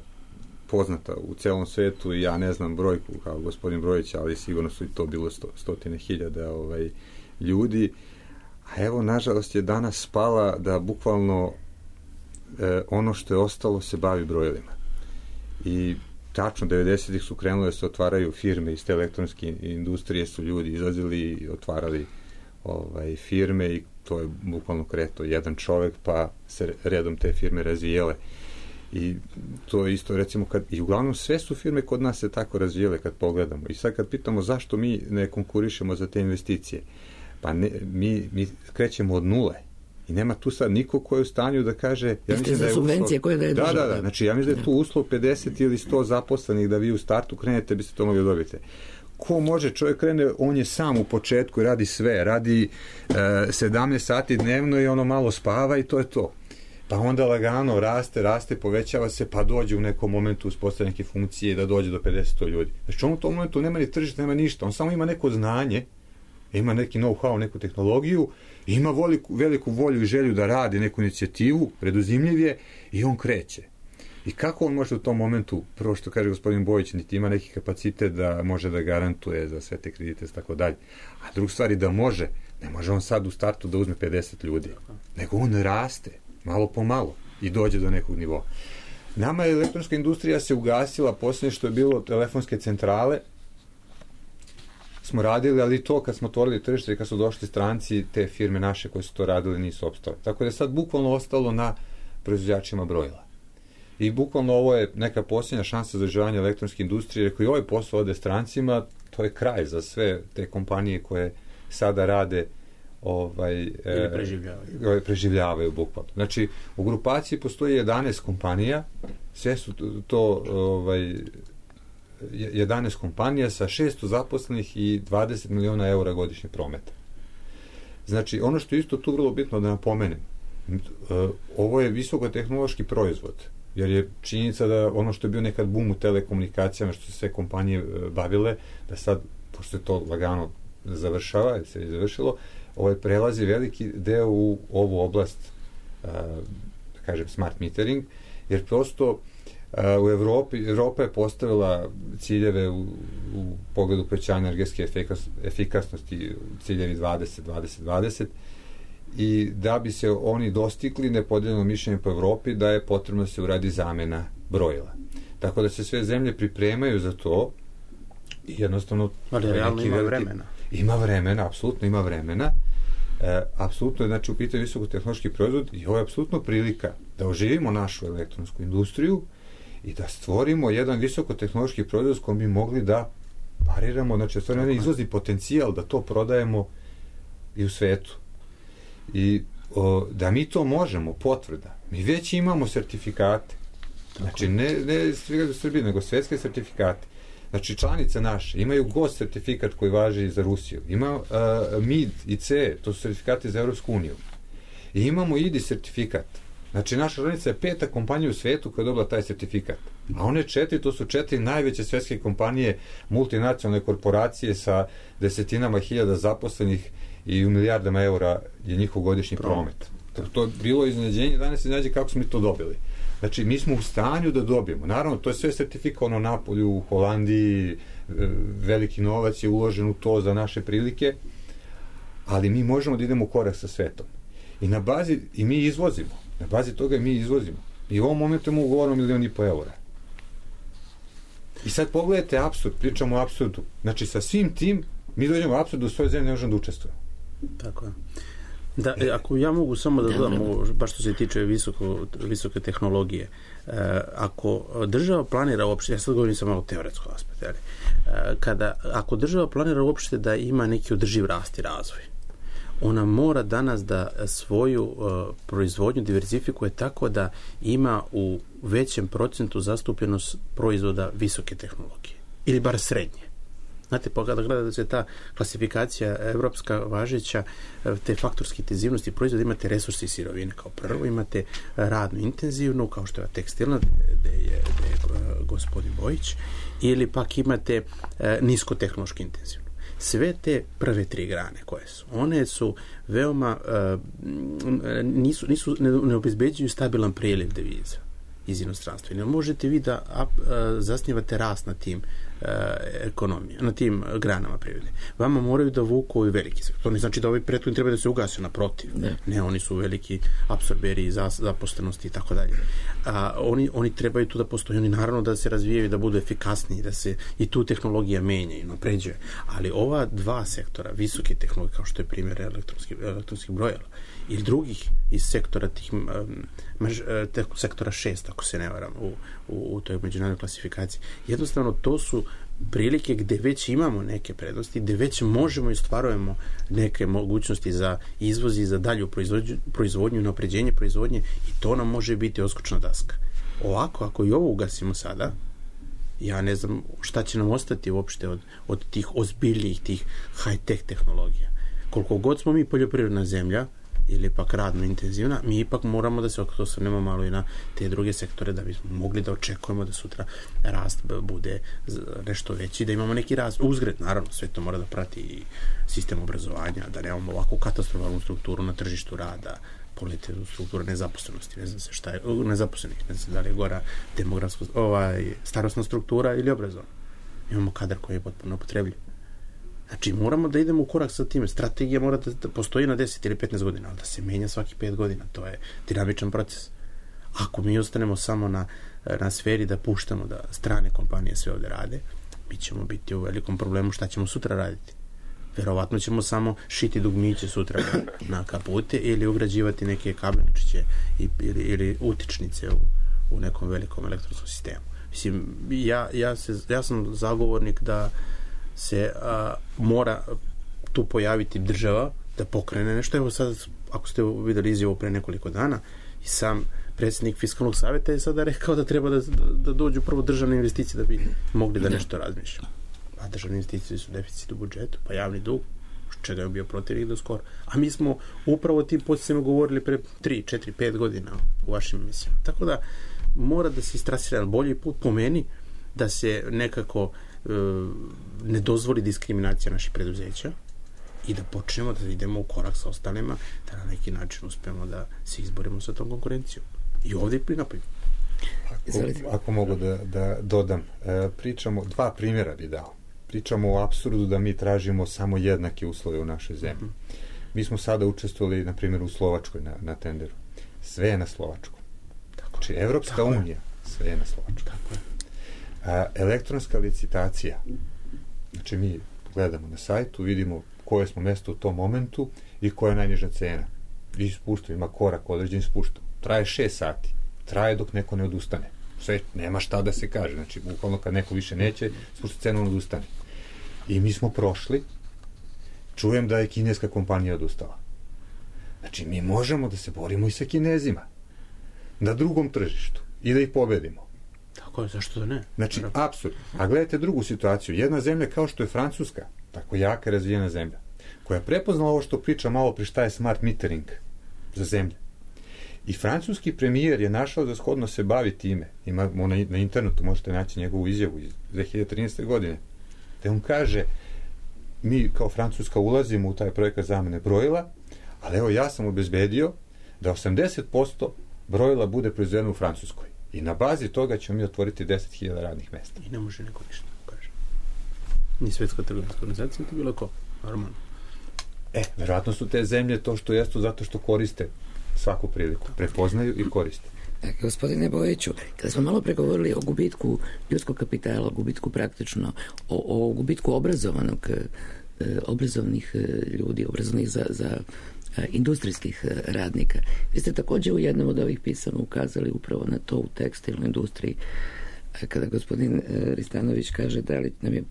poznata u celom svetu i ja ne znam brojku kao gospodin Brojić, ali sigurno su i to bilo stotine hiljada ljudi. A evo, nažalost je danas spala da bukvalno ono što je ostalo se bavi brojilima. I tačno 90-ih su krenule da se otvaraju firme iz te elektronske industrije, su ljudi izlazili i otvarali firme i to je bukvalno kreto jedan čovek pa se redom te firme razvijele. I to je isto recimo i uglavnom sve su firme kod nas se tako razvijele kad pogledamo. I sad kad pitamo zašto mi ne konkurišemo za te investicije, pa mi krećemo od nule i nema tu sad niko ko je u stanju da kaže ja mislim da je subvencije koje daje država. Da, znači ja mislim da je tu uslov 50 ili 100 zaposlenih da vi u startu krenete biste to mogli dobiti. Ko može, čovjek krene, on je sam u početku i radi sve, radi 17 sati dnevno i ono malo spava i to je to. Pa onda lagano raste, povećava se, pa dođe u nekom momentu uspostavlja neke funkcije da dođe do 50 ljudi. Znači on u tom momentu nema ni tržište, nema ništa, on samo ima neko znanje, ima neki know-how, neku tehnologiju, ima veliku volju i želju da radi neku inicijativu, preduzimljiv je i on kreće. I kako on može u tom momentu, prvo što kaže gospodin Bojić, niti ima neki kapacitet da može da garantuje za sve te kredite i tako dalje. A druga stvar je da može, ne može on sad u startu da uzme 50 ljudi, nego on raste, malo po malo, i dođe do nekog nivoa. Nama je elektronska industrija se ugasila, posljednje što je bilo telefonske centrale, smo radili, ali to kad smo otvorili tržište i kad su došli stranci, te firme naše koje su to radili nisu opstale. Tako da je sad bukvalno ostalo na proizvođačima brojila. I bukvalno ovo je neka posljednja šansa za održavanje elektronske industrije, jer ako i ovaj posao ode strancima, to je kraj za sve te kompanije koje sada rade preživljavaju bukvalno. Znači, u grupaciji postoji 11 kompanija, sve su to 11 kompanija sa 600 zaposlenih i 20 miliona eura godišnje prometa. Znači, ono što je isto tu vrlo bitno da napomenem, ovo je visokotehnološki proizvod, jer je činjenica da ono što je bio nekad boom u telekomunikacijama, što se sve kompanije bavile, da sad, pošto je to lagano završava, jer se je završilo, prelazi veliki deo u ovu oblast, da kažem, smart metering, jer prosto u Evropa je postavila ciljeve u pogledu povećanja energetske efikasnosti, ciljevi 20-20-20, i da bi se oni dostigli, nepodeljeno mišljenje po Evropi da je potrebno da se uradi zamena brojila. Tako da se sve zemlje pripremaju za to i jednostavno... Ali realno ima vremena. Ima vremena, apsolutno ima vremena. Apsolutno je, znači, u pitanju visokotehnološki proizvod i ovo je apsolutno prilika da oživimo našu elektronsku industriju i da stvorimo jedan visokotehnološki proizvod s kojim bi mogli da pariramo, znači stvorimo jedan izvozni potencijal da to prodajemo i u svetu. I da mi to možemo, potvrda. Mi već imamo sertifikate. Znači, ne u Srbiji, nego svetske sertifikate. Znači, članice naše imaju GOS sertifikat koji važi za Rusiju. Ima MID i CE, to su sertifikati za Evropsku uniju. I imamo IDI sertifikat. Znači, naša članica je 5. kompanija u svetu koja je dobila taj sertifikat. A one 4, to su 4 najveće svetske kompanije, multinacionalne korporacije sa desetinama hiljada zaposlenih i u milijardama eura je njihov godišnji promet. To je bilo iznenađenje, danas iznenađe kako smo mi to dobili. Znači, mi smo u stanju da dobijemo. Naravno, to je sve sertifikovano na Napolju, u Holandiji, veliki novac je uložen u to za naše prilike, ali mi možemo da idemo u korak sa svetom. I mi izvozimo. Na bazi toga mi izvozimo. I u ovom momentu imamo ugovorno 1,5 miliona eura. I sad pogledajte apsurd, pričamo o apsurdu. Znači, sa svim tim, mi dođemo u apsurdu, u svojoj zemlji ne možemo da učestvujemo. Tako je. Da, ako ja mogu samo da dodam, baš što se tiče visoke tehnologije, ako država planira uopšte, ja sad govorim samo o teoretskom aspektu, ako država planira uopšte da ima neki održiv rast i razvoj, ona mora danas da svoju proizvodnju diversifikuje tako da ima u većem procentu zastupljenost proizvoda visoke tehnologije, ili bar srednje. Znate, kada gledate se ta klasifikacija evropska važeća, te faktorske intenzivnosti proizvoda, imate resursi i sirovine kao prvo, imate radno intenzivnu, kao što je tekstilna, gde je gospodin Bojić, ili pak imate niskotehnološki intenzivnu. Sve te prve 3 grane koje su, one su veoma, ne obezbeđuju stabilan priliv deviza iz inostranstva. Ne možete vi da zasnivate rast na tim ekonomije, na tim granama privrede. Vama moraju da vuku i veliki sektor. To ne znači da ovi prethodni treba da se ugase, naprotiv. Ne, oni su veliki apsorberi zaposlenosti i tako dalje. Oni trebaju tu da postoje, oni naravno da se razvijaju, da budu efikasniji, da se i tu tehnologija menja i napređuje. Ali ova 2 sektora, visoke tehnologije, kao što je primjer elektronskih brojila, ili drugih iz sektora sektora 6, ako se ne varam, u toj međunarodnoj klasifikaciji. Jednostavno, to su prilike gde već imamo neke prednosti, gde već možemo i ostvarujemo neke mogućnosti za izvoz i za dalju proizvodnju i napređenje proizvodnje, i to nam može biti odskočna daska. Ovako, ako i ovo ugasimo sada, ja ne znam šta će nam ostati uopšte od tih ozbiljnijih, tih high-tech tehnologija. Koliko god smo mi poljoprivredna zemlja, ili pak radno intenzivna, mi ipak moramo da se osvrnemo malo i na te druge sektore da bismo mogli da očekujemo da sutra rast bude nešto veći, da imamo neki rast. Uzgred, naravno, sve to mora da prati i sistem obrazovanja, da nemamo ovakvu katastrofalnu strukturu na tržištu rada, pogledajte strukturu nezaposlenosti, ne znam se šta je, nezaposlenih, ne znam da li je gora demografska, starosna struktura ili obrazovna. Imamo kadar koji je potpuno upotrebljiv. Znači, moramo da idemo u korak sa time. Strategija mora da postoji na 10 ili 15 godina, ali da se menja svaki 5 godina. To je dinamičan proces. Ako mi ostanemo samo na sferi da puštamo da strane kompanije sve ovde rade, mi ćemo biti u velikom problemu šta ćemo sutra raditi. Verovatno ćemo samo šiti dugmiće sutra na kapute ili ugrađivati neke kabelčiće ili utičnice u nekom velikom elektronskom sistemu. Mislim, ja sam zagovornik da se mora tu pojaviti država da pokrene nešto. Evo sad, ako ste videli izjavu pre nekoliko dana, i sam predsjednik Fiskalnog savjeta je sada rekao da treba da dođu prvo državne investicije da bi mogli da nešto razmišljamo. A državne investicije su deficit u budžetu, pa javni dug, čega je bio protiv do skoro. A mi smo upravo o tim podsticajima govorili pre 3, 4, 5 godina u vašim emisijama. Tako da mora da se istrasira bolji put po meni, da se nekako ne dozvoli diskriminacija naših preduzeća i da počnemo da idemo u korak sa ostalima, da na neki način uspemo da se izborimo sa tom konkurencijom. I ovdje i prinapojimo. Ako mogu da dodam, pričamo, 2 primjera bi dao. Pričamo o apsurdu da mi tražimo samo jednake uslove u našoj zemlji. Mi smo sada učestvovali, na primjer, u Slovačkoj na tenderu. Sve je na Slovačkom. Znači, Evropska unija, sve je na Slovačkom. Elektronska licitacija. Znači, mi gledamo na sajtu, vidimo koje smo mjesto u tom momentu i koja je najniža cena. I spuštamo, ima korak određen spuštam. Traje 6 sati. Traje dok neko ne odustane. Sve, nema šta da se kaže. Znači, bukvalno kad neko više neće, spušta cenu, on odustane. I mi smo prošli. Čujem da je kineska kompanija odustala. Znači, mi možemo da se borimo i sa Kinezima. Na drugom tržištu. I da ih pobedimo. Tako je, zašto da ne? Znači, apsurd. A gledajte drugu situaciju. Jedna zemlja kao što je Francuska, tako jaka razvijena zemlja, koja je prepoznala ovo što priča malo pri šta je smart metering za zemlje. I francuski premijer je našao za shodno se bavi time. Imamo na internetu, možete naći njegovu izjavu iz 2013. godine. Te on kaže, mi kao Francuska ulazimo u taj projekat zamene brojila, ali evo ja sam obezbedio da 80% brojila bude proizvedeno u Francuskoj. I na bazi toga ćemo mi otvoriti 10.000 radnih mesta. I ne može neko ništa, kaže. Ni Svetska trgovinska organizacija, to bilo ko? Normalno. Verovatno su te zemlje to što jesu zato što koriste svaku priliku. Prepoznaju i koriste. Gospodine Bojiću, kada smo malo pregovorili o gubitku ljudskog kapitala, o gubitku praktično, o gubitku obrazovnih ljudi, obrazovnih za industrijskih radnika. Vi ste također u jednom od ovih pisama ukazali upravo na to u tekstilnoj industriji, kada gospodin Ristanović kaže da li nam je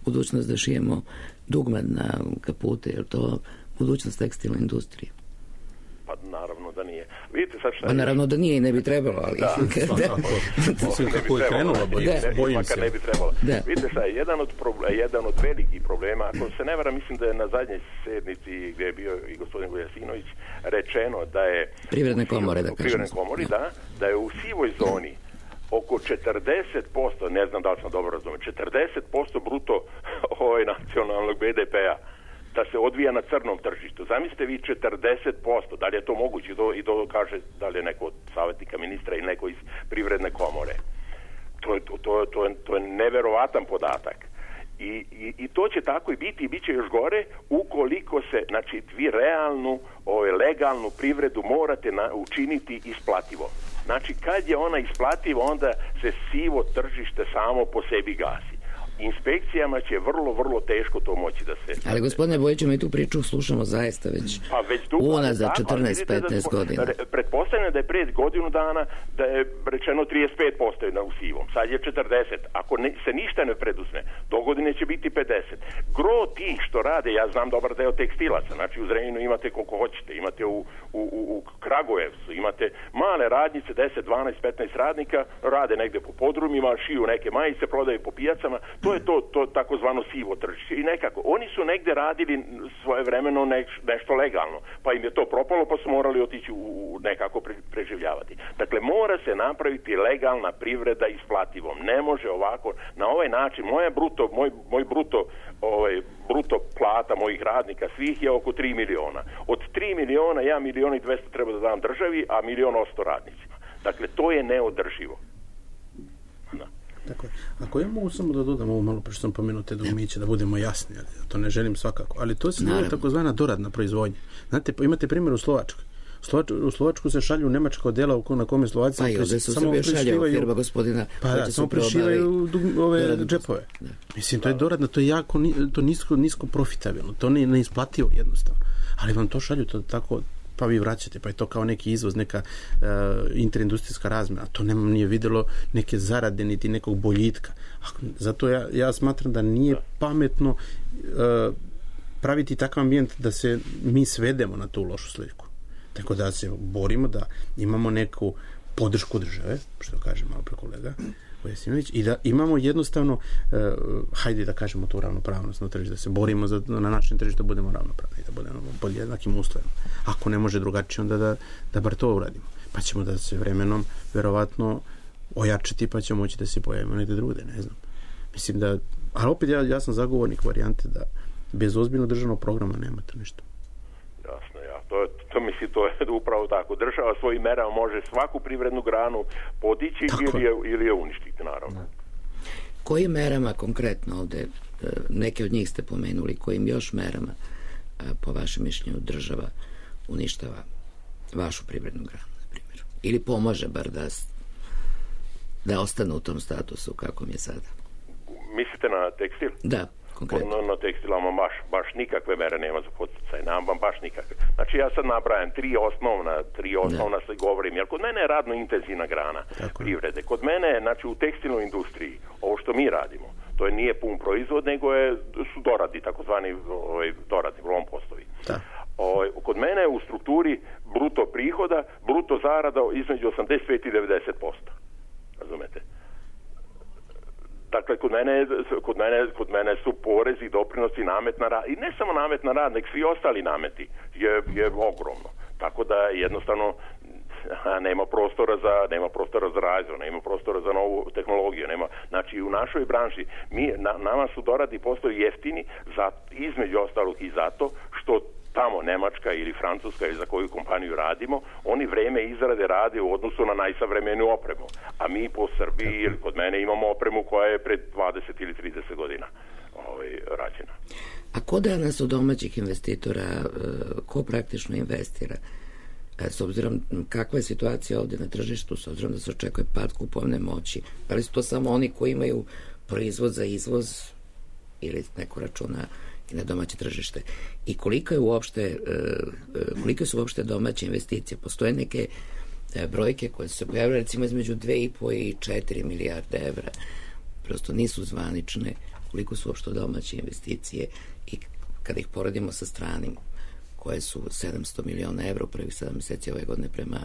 budućnost da šijemo dugmad na kapute, je li to budućnost tekstilne industrije? Pa naravno da nije. Vidite sad šta... Pa naravno da nije i ne bi trebalo, ali... Kako je krenulo, bojim se. Ne bi trebalo. Vidite šta, jedan od velikih problema, ako se ne varam, mislim da je na zadnjoj sednici gdje je bio i gospodin Vujasinović rečeno da je... Privredne komore, da kažem. Privredne komori, da je u sivoj zoni oko 40%, ne znam da li sam dobro razumio, 40% bruto nacionalnog BDP-a da se odvija na crnom tržištu. Zamislite vi 40%, da li je to moguće, i to kaže da li je neko od savjetnika ministra ili neko iz privredne komore. To je neverovatan podatak. I to će tako i biti, i bit će još gore ukoliko se, znači, vi realnu, legalnu privredu morate učiniti isplativo. Znači, kad je ona isplativa, onda se sivo tržište samo po sebi gasi. Inspekcijama će vrlo teško to moći da se... Ali gospodine Bojiću, mi tu priču slušamo zaista već unazad 14-15 godina. Pretpostavljam da je pred godinu dana da je rečeno 35% u sivom. Sad je 40. Ako se ništa ne preduzme, do godine će biti 50. Gro tih što rade, ja znam dobar deo tekstilaca, znači u Zrenjaninu imate koliko hoćete, imate u Kragujevcu, imate male radnice, 10, 12, 15 radnika, rade negde po podrumima, šiju neke majice, prodaju po pijacama. To je to takozvano sivo tržište. I nekako, oni su negde radili svojevremeno nešto legalno, pa im je to propalo, pa su morali otići u nekako preživljavati. Dakle, mora se napraviti legalna privreda isplativom. Ne može ovako, na ovaj način, moj bruto plata mojih radnika svih je oko 3 miliona. Od 3 miliona, ja 1.200.000 treba da dam državi, a 1.100.000 radnicima. Dakle, to je neodrživo. Da. Dakle, ako ja mogu samo da dodam ovo malo, što sam pomenuo te dugmiće, da budemo jasni, ali to ne želim svakako, ali to se zove takozvana doradna proizvodnja. Znate, imate primjer u Slovačkoj. U Slovačku se šalju nemačka odjela na kome Slovaci samo prešivaju firma gospodina, samo prešivaju ove džepove. Da. Mislim, to je doradno, to je jako nisko profitabilno, to ne isplativo jednostavno. Ali vam to šalju, to tako, pa vi vraćate, pa je to kao neki izvoz, neka interindustrijska razmjena. To nije videlo neke zarade, niti nekog boljitka. Zato ja smatram da nije pametno praviti takav ambijent da se mi svedemo na tu lošu sliku. Tako da se borimo da imamo neku podršku države, što kaže malo pre kolega Vojasinović, i da imamo jednostavno, hajde da kažemo tu ravnopravnost na tržištu, da se borimo na našem tržištu da budemo ravnopravni, da budemo pod jednakim uslovima. Ako ne može drugačije, onda da bar to uradimo. Pa ćemo da se vremenom verovatno ojačati, pa ćemo moći da se pojavimo negde drugde, ne znam. Mislim da, ali opet ja sam zagovornik varijante da bez ozbiljnog državnog programa nema to ništa. Jasno, ja. To je upravo tako. Država svojim merama može svaku privrednu granu podići ili je uništiti, naravno. Da. Kojim merama konkretno ovde, neke od njih ste pomenuli, kojim još merama po vašem mišljenju država uništava vašu privrednu granu, na primjer? Ili pomaže bar da ostane u tom statusu kakvom je sada? Mislite na tekstil? Da. Na tekstilama baš nikakve mere nema za podsticaj, nam baš nikakve. Znači ja sad nabrajam tri osnovna se govorim, jer kod mene je radno intenzivna grana privrede. Kod mene, znači u tekstilnoj industriji, ovo što mi radimo, to nije pun proizvod, nego su doradi, takozvani doradi, lom postovi. Kod mene je u strukturi bruto prihoda, bruto zarada između 85 i 90%. Razumete? Dakle, kod mene su porezi, doprinosi, namet na rad, i ne samo namet na rad, nek svi ostali nameti je ogromno. Tako da jednostavno nema prostora za razvoj, nema prostora za novu tehnologiju. Znači, u našoj branši nama su doradi postaju jeftini, između ostalog i zato što tamo Nemačka ili Francuska ili za koju kompaniju radimo, oni vreme izrade rade u odnosu na najsavremeniju opremu. A mi po Srbiji ili kod mene imamo opremu koja je pred 20 ili 30 godina rađena. A ko danas od domaćih investitora, ko praktično investira? S obzirom kakva je situacija ovdje na tržištu, s obzirom da se očekuje pad kupovne moći, da li su to samo oni koji imaju proizvod za izvoz ili neko računa i na domaće tržište? I kolike su uopšte domaće investicije? Postoje neke brojke koje su se pojavile recimo između 2,5 i 4 milijarde evra. Prosto nisu zvanične. Koliko su uopšte domaće investicije i kada ih poredimo sa stranim koje su 700 miliona evra u prvih 7 meseci ove godine prema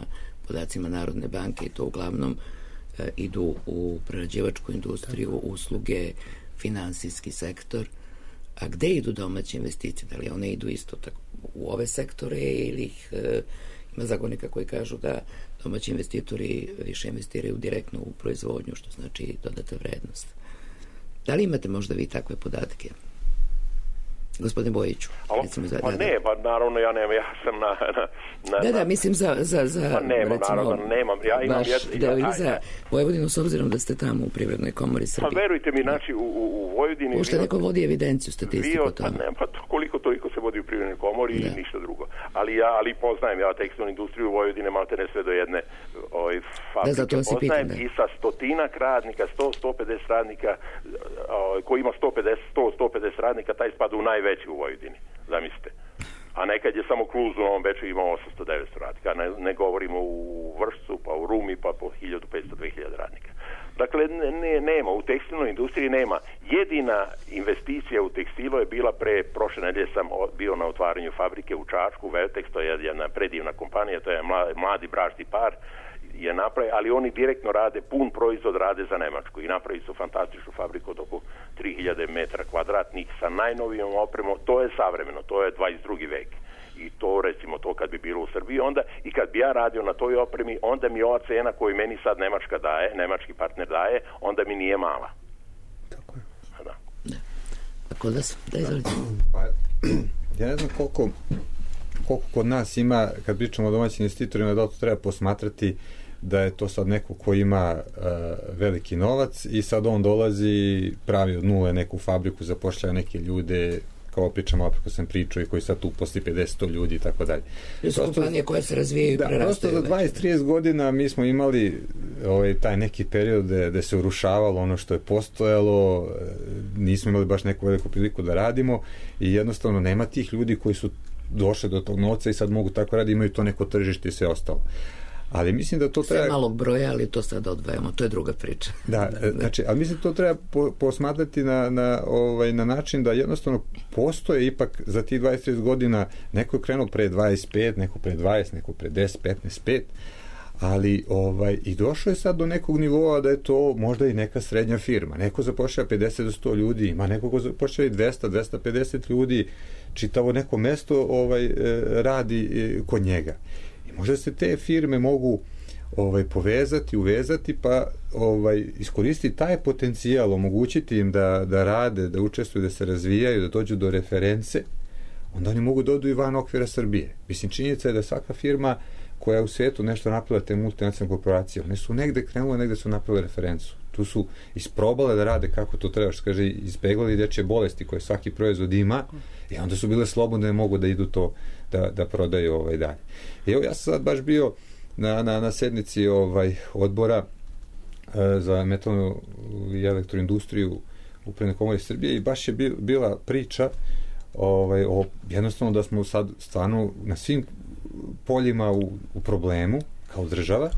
podacima Narodne banke, i to uglavnom idu u prerađivačku industriju, usluge, finansijski sektor. A gde idu domaće investicije? Da li one idu isto tako u ove sektore ili ima zagovornika koji kažu da domaći investitori više investiraju direktno u proizvodnju, što znači dodata vrednost? Da li imate možda vi takve podatke? Gospodine Bojiću. Naravno ja nemam, ja sam mislim za nemam, ja imam za Vojvodinu, s obzirom da ste tamo u Privrednoj komori Srbije. Pa verujte mi, znači u Vojvodini... Možda neko vodi evidenciju, statistiku tamo. Koliko toliko se vodi u Privrednoj komori i ništa drugo. Ali poznajem ja tekstilnu industriju u Vojvodine, malte ne sve do jedne fabrike. Poznajem i sa 100 radnika, 100-150 radnika, koji ima 150 radnika, taj spada u najveći u Vojvodini, zamislite. A nekad je samo Kluz u Novom Beču imao 800-900 radnika. Ne govorimo u Vršcu, pa u Rumi, pa po 1500-2000 radnika. Dakle, nema, u tekstilnoj industriji nema. Jedina investicija u tekstilu je bila prošle nedelje sam bio na otvaranju fabrike u Čačku, Veltex, to je jedna predivna kompanija, to je mladi bračni par, je napravi, ali oni direktno rade, pun proizvod rade za Nemačku i napravi su fantastičnu fabriku od oko 3000 metara kvadratnih sa najnovijom opremom. To je savremeno, to je 22. vek. I to, recimo, to kad bi bilo u Srbiji, onda i kad bi ja radio na toj opremi, onda mi ova cena koju meni sad Nemačka daje, nemački partner daje, onda mi nije mala. Tako je. Da. A kod vas? Da, izvolite. Pa, ja ne znam koliko kod nas ima, kad pričamo o domaćim investitorima, da to treba posmatrati da je to sad neko ko ima veliki novac i sad on dolazi, pravi od nule neku fabriku, zapošljava neke ljude, kao pričamo, opet sam pričao, i koji sad tu posli 50 ljudi i tako dalje. To su kompanije koje se razvijaju i prerastaju. Prosto za 20-30 godina mi smo imali taj neki period gde se urušavalo ono što je postojalo, nismo imali baš neku veliku priliku da radimo i jednostavno nema tih ljudi koji su došli do tog novca i sad mogu tako raditi, imaju to neko tržište i sve ostalo. Ali mislim da to treba... Sve malog broja, ali to sad odvajamo, to je druga priča. Da, znači, ali mislim da to treba posmatrati na način da jednostavno postoje ipak za tih 20-30 godina, neko je krenuo pre 25, neko pre 20, neko pre 10, 15, 5, ali i došlo je sad do nekog nivoa da je to možda i neka srednja firma. Neko zapošljava 50 do 100 ljudi, ima neko ko zapošljava i 200, 250 ljudi, čitavo neko mesto radi kod njega. Možda se te firme mogu povezati, uvezati, pa iskoristiti taj potencijal, omogućiti im da rade, da učestvuju, da se razvijaju, da dođu do reference, onda oni mogu da odu i van okvira Srbije. Mislim, činjenica je da svaka firma koja u svijetu nešto napravila, te multinacionalne korporacije, one su negde krenule, negde su napravile referencu. Tu su isprobale da rade kako to treba, što kaže, izbeglali dečje bolesti koje svaki proizvod ima i onda su bile slobodne, mogu da idu to da prodaju dalje. Evo, ja sam sad baš bio na sednici odbora za metalnu i elektroindustriju Upravne komore Srbije i baš je bila priča o jednostavno da smo sad stvarno na svim poljima u problemu kao država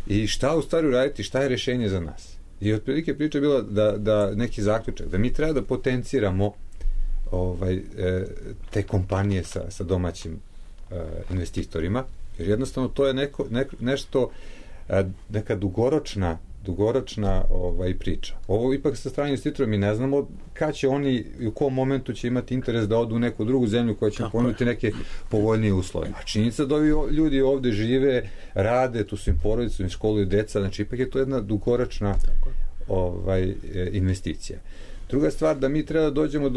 i šta u stvari raditi, šta je rešenje za nas. I otprilike priča je bila da neki zaključak, da mi treba da potenciramo te kompanije sa domaćim investitorima, jer jednostavno to je nešto, neka dugoročna priča. Ovo ipak sa strane investitora mi ne znamo kad će oni i u kom momentu će imati interes da odu u neku drugu zemlju koja će ponuditi neke povoljnije uslove. A činjenica da ovi ljudi ovde žive, rade, tu su im porodice, im školuju deca, znači ipak je to jedna dugoročna investicija. Druga stvar, da mi treba da dođemo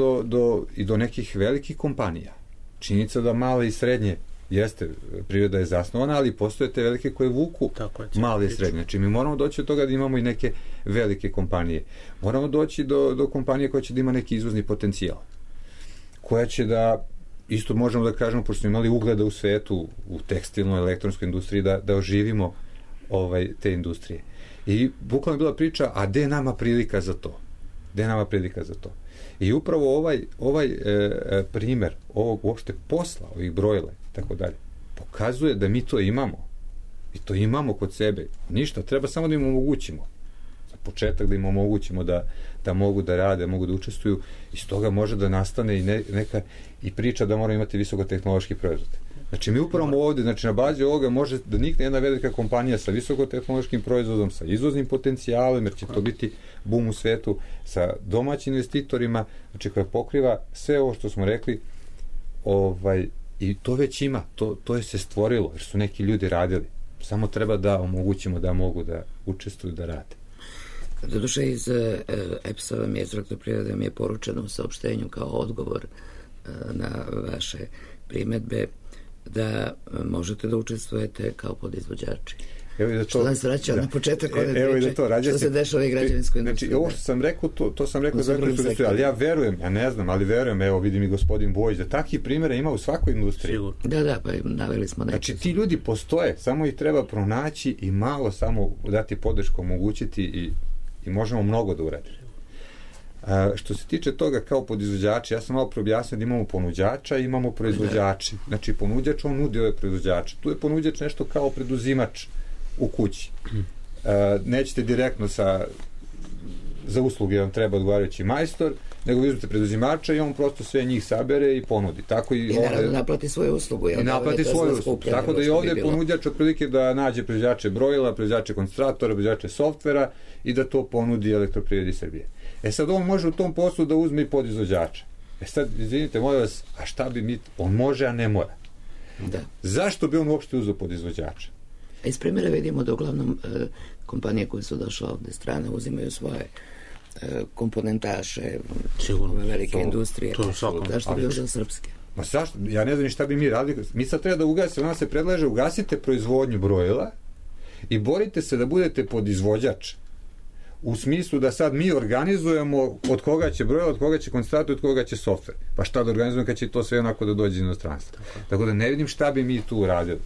do nekih velikih kompanija. Činjenica da male i srednje jeste, priroda je zasnovana, ali postoje te velike koje vuku male i srednje. Znači mi moramo doći od toga da imamo i neke velike kompanije. Moramo doći do kompanije koja će da ima neki izvozni potencijal. Koja će da, isto možemo da kažemo, pošto smo imali ugleda u svetu, u tekstilnoj, elektronskoj industriji, da oživimo te industrije. I bukvalno je bila priča, a gde je nama prilika za to? Gde je nama prilika za to? I upravo ovaj primer ovog uopšte posla, ovih brojila i tako dalje, pokazuje da mi to imamo. I to imamo kod sebe. Ništa, treba samo da im omogućimo. Za početak da im omogućimo da mogu da rade, mogu da učestvuju. Iz toga može da nastane i neka i priča da moramo imati visokotehnološki proizvod. Znači mi upravo ovdje, znači na bazi ovoga može da nikne jedna velika kompanija sa visokotehnološkim proizvodom, sa izvoznim potencijalom, jer će to biti boom u svetu, sa domaćim investitorima, znači koja pokriva sve ovo što smo rekli, i to već ima, to je se stvorilo, jer su neki ljudi radili. Samo treba da omogućimo da mogu da učestvuju, da rade. Doduše iz EPS-a vam je, iz Elektroprivrede vam je poručeno u saopštenju kao odgovor na vaše primedbe da možete da učestvujete kao podizvođači. Što nas vraća na početak ove priče, što se dešava i građevinskoj industriji. Znači, ovo što sam rekao, to sam rekao za elektroindustriju, ali ja verujem, ja ne znam, ali verujem, evo vidim i gospodin Bojić, da takvih primjera ima u svakoj industriji. Da, pa naveli smo neke. Znači, ti ljudi postoje, samo ih treba pronaći i malo samo dati podršku, omogućiti i možemo mnogo da uradimo. Što se tiče toga kao podizvođači, ja sam malo preobjasnio da imamo ponuđača i imamo proizvođači. Znači, ponuđač, on nudi ove proizvođače. Tu je ponuđač nešto kao preduzimač u kući. Nećete direktno za usluge vam treba odgovarajući majstor, nego vi uzmete preduzimača i on prosto sve njih sabere i ponudi. Tako I naravno naplati svoju uslugu. I naplati svoju uslugu. Tako da i ovdje ponuđač otprilike da nađe proizvođače brojila, proizvođače koncentratora, proizvođače softvera i da to ponudi Elektroprivredi Srbije. Sad on može u tom poslu da uzme i podizvođača. Sad, izvinite, molim vas, a šta bi mi... On može, a ne mora. Da. Zašto bi on uopšte uzeo podizvođača? Iz primjera vidimo da uglavnom kompanije koje su došle ovde strane uzimaju svoje komponentaše, ove velike industrije. Zašto bi uzeo srpske? Ma zašto? Ja ne znam ni šta bi mi radili. Mi sad treba da ugasimo, ona se predlaže, ugasite proizvodnju brojila i borite se da budete podizvođač. U smislu da sad mi organizujemo od koga će brojila, od koga će koncentrator, od koga će softver. Pa šta da organizujemo kad će to sve onako da dođe iz inostranstva. Tako da ne vidim šta bi mi tu uradili.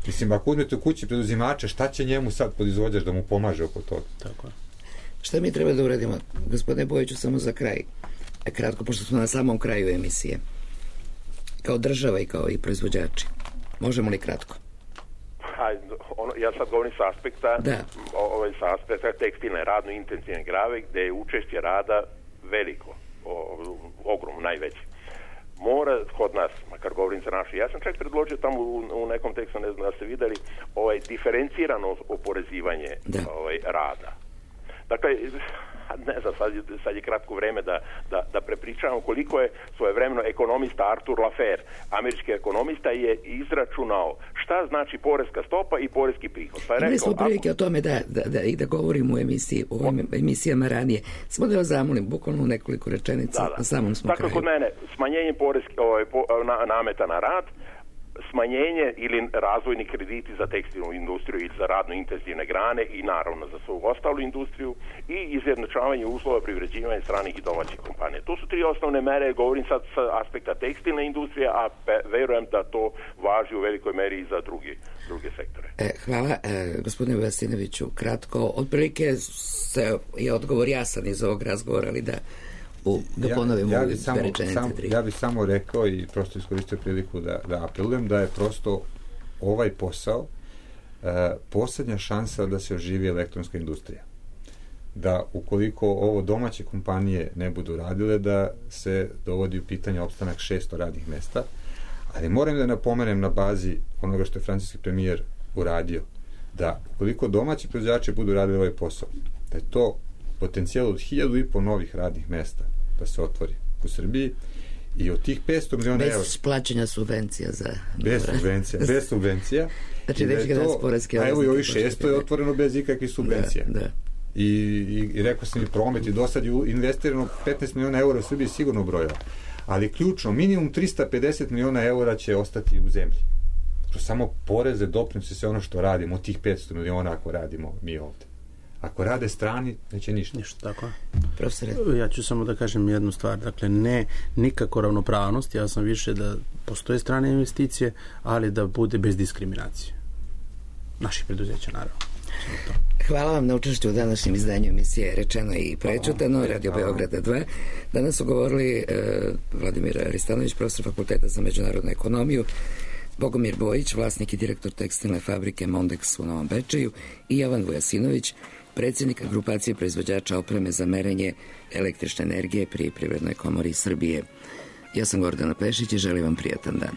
Mislim, ako uzmete u kući preduzimače, šta će njemu sad podizvođač da mu pomaže oko toga? Tako je. Šta mi treba da uradimo? Gospodine Bojiću, samo za kraj. Kratko, pošto smo na samom kraju emisije. Kao država i kao i proizvođači. Možemo li kratko? Ja sad govorim sa aspekta sa aspekta tekstilne, radno intenzivne grave, gde je učešće rada veliko, ogromno, najveće. Mora kod nas, makar govorim za naše, ja sam čak predložio tamo u nekom tekstu, ne znam da ste videli, diferencirano oporezivanje rada. Dakle, ne znam, sad je kratko vreme da prepričavam koliko je svojevremeno ekonomista Arthur Laffer, američki ekonomista, je izračunao šta znači poreska stopa i poreski prihod. Pa je rekao, imali smo prilike o tome da govorimo u ovim emisijama ranije. Samo da vas zamolim, bukvalno nekoliko rečenica, na samom smo kraju. Dakle, kod mene, smanjenje nameta na rad, smanjenje ili razvojni krediti za tekstilnu industriju ili za radno intenzivne grane i naravno za svu ostalu industriju i izjednačavanje uslova privređivanja stranih i domaćih kompanija. To su tri osnovne mere, govorim sad sa aspekta tekstilne industrije, a verujem da to važi u velikoj meri i za druge sektore. Hvala, gospodine Vujasinoviću, kratko. Otprilike je odgovor jasan iz ovog razgovora, ali da ponovimo sve rečenice tri. Ja bih samo rekao i prosto iskoristio priliku da apelujem da je prosto ovaj posao poslednja šansa da se oživi elektronska industrija. Da ukoliko ovo domaće kompanije ne budu radile, da se dovodi u pitanje opstanak 600 radnih mesta, ali moram da napomenem na bazi onoga što je francuski premijer uradio, da ukoliko domaći proizvođači budu radili ovaj posao, da je to potencijal od 1.500 novih radnih mesta da se otvori u Srbiji i od tih 500 miliona evra... Bez plaćanja subvencija za... Bez subvencija. Znači, već ga nas poreske... A evo i ovih 600 je otvoreno bez ikakvih subvencija. Da. I rekao sam i promet i do sad je investirano 15 miliona eura u Srbiji sigurno brojila. Ali ključno, minimum 350 miliona eura će ostati u zemlji. Samo poreze, doprinose, sve ono što radimo, od tih 500 miliona ako radimo mi ovde. Ako rade strani, neće ništa. Tako. Profesore. Ja ću samo da kažem jednu stvar. Dakle, ne nikako ravnopravnost. Ja sam više da postoje strane investicije, ali da bude bez diskriminacije. Naših preduzeća, naravno. Hvala vam na učešću u današnjem izdanju emisije Rečeno i prečutano, Radio Beograda 2. Danas su govorili Vladimir Aristanović, profesor Fakulteta za međunarodnu ekonomiju, Bogomir Bojić, vlasnik i direktor tekstilne fabrike Mondex u Novom Bečeju, i Jovan Vujasinović, predsjednik grupacije proizvođača opreme za merenje električne energije pri Privrednoj komori Srbije. Ja sam Gordana Pešić i želim vam prijatan dan.